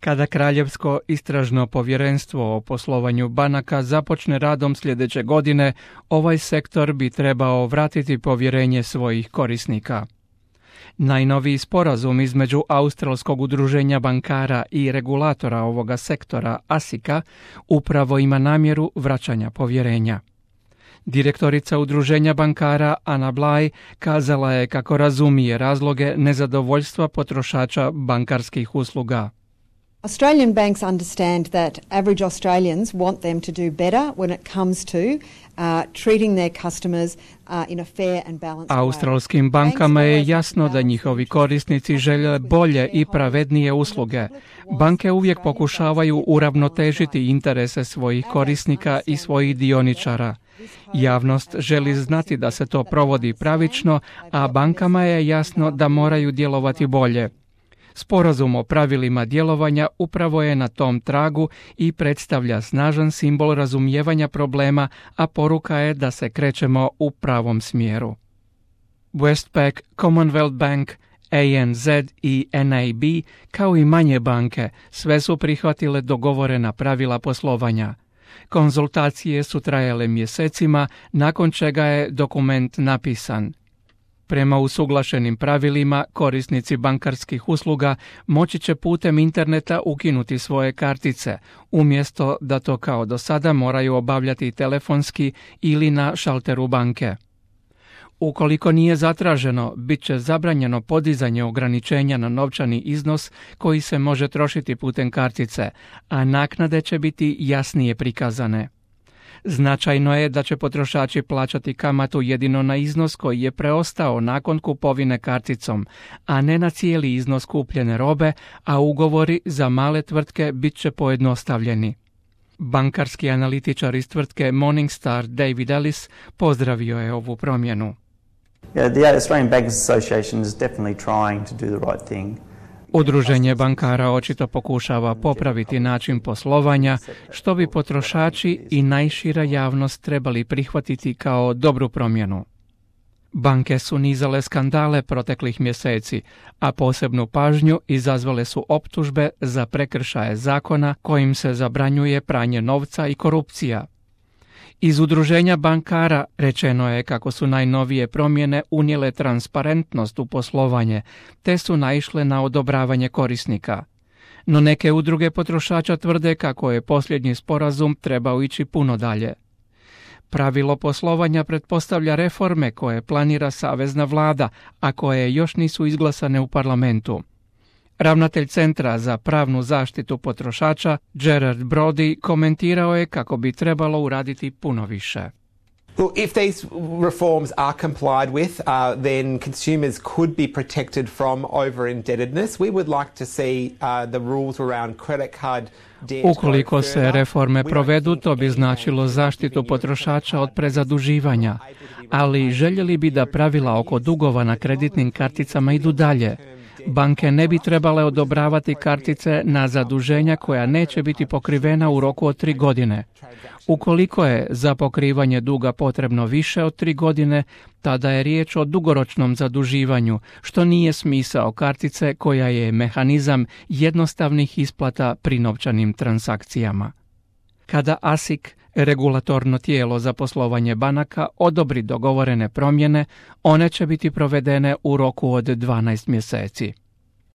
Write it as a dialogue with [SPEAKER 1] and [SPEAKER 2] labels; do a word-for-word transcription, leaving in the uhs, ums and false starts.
[SPEAKER 1] Kada Kraljevsko istražno povjerenstvo o poslovanju banaka započne radom sljedeće godine, ovaj sektor bi trebao vratiti povjerenje svojih korisnika. Najnoviji sporazum između Australskog udruženja bankara i regulatora ovoga sektora, asika, upravo ima namjeru vraćanja povjerenja. Direktorica udruženja bankara Anna Bligh kazala je kako razumije razloge nezadovoljstva potrošača bankarskih usluga.
[SPEAKER 2] Australian banks understand that average Australians want them to do better when it comes to uh, treating their customers uh, in a fair and balanced way.
[SPEAKER 1] Australskim bankama je jasno da njihovi korisnici žele bolje i pravednije usluge. Banke uvijek pokušavaju uravnotežiti interese svojih korisnika i svojih dioničara. Javnost želi znati da se to provodi pravično, a bankama je jasno da moraju djelovati bolje. Sporazum o pravilima djelovanja upravo je na tom tragu i predstavlja snažan simbol razumijevanja problema, a poruka je da se krećemo u pravom smjeru. Westpac, Commonwealth Bank, A N Z i N A B, kao i manje banke, sve su prihvatile dogovorena pravila poslovanja. Konzultacije su trajale mjesecima, nakon čega je dokument napisan. Prema usuglašenim pravilima, korisnici bankarskih usluga moći će putem interneta ukinuti svoje kartice, umjesto da to kao do sada moraju obavljati telefonski ili na šalteru banke. Ukoliko nije zatraženo, bit će zabranjeno podizanje ograničenja na novčani iznos koji se može trošiti putem kartice, a naknade će biti jasnije prikazane. Značajno je da će potrošači plaćati kamatu jedino na iznos koji je preostao nakon kupovine karticom, a ne na cijeli iznos kupljene robe, a ugovori za male tvrtke bit će pojednostavljeni. Bankarski analitičar iz tvrtke Morningstar David Ellis pozdravio je ovu promjenu.
[SPEAKER 3] Yeah, the Australian Bankers Association is definitely trying to do the right thing.
[SPEAKER 1] Udruženje bankara očito pokušava popraviti način poslovanja, što bi potrošači i najšira javnost trebali prihvatiti kao dobru promjenu. Banke su nizale skandale proteklih mjeseci, a posebnu pažnju izazvale su optužbe za prekršaje zakona kojim se zabranjuje pranje novca i korupcija. Iz udruženja bankara rečeno je kako su najnovije promjene unijele transparentnost u poslovanje, te su naišle na odobravanje korisnika. No neke udruge potrošača tvrde kako je posljednji sporazum trebao ići puno dalje. Pravilo poslovanja pretpostavlja reforme koje planira savezna vlada, a koje još nisu izglasane u parlamentu. Ravnatelj Centra za pravnu zaštitu potrošača Gerard Brody komentirao je kako bi trebalo uraditi puno više.
[SPEAKER 4] Look, if these reforms are complied with, uh, then consumers could be protected from over-indebtedness. We would like to see uh, the rules around credit card debt.
[SPEAKER 1] Ukoliko se reforme provedu, to bi značilo zaštitu potrošača od prezaduživanja, ali željeli bi da pravila oko dugova na kreditnim karticama idu dalje. Banke ne bi trebale odobravati kartice na zaduženja koja neće biti pokrivena u roku od tri godine. Ukoliko je za pokrivanje duga potrebno više od tri godine, tada je riječ o dugoročnom zaduživanju, što nije smisao kartice koja je mehanizam jednostavnih isplata pri novčanim transakcijama. Kada ASIC, regulatorno tijelo za poslovanje banaka, odobri dogovorene promjene, one će biti provedene u roku od dvanaest mjeseci.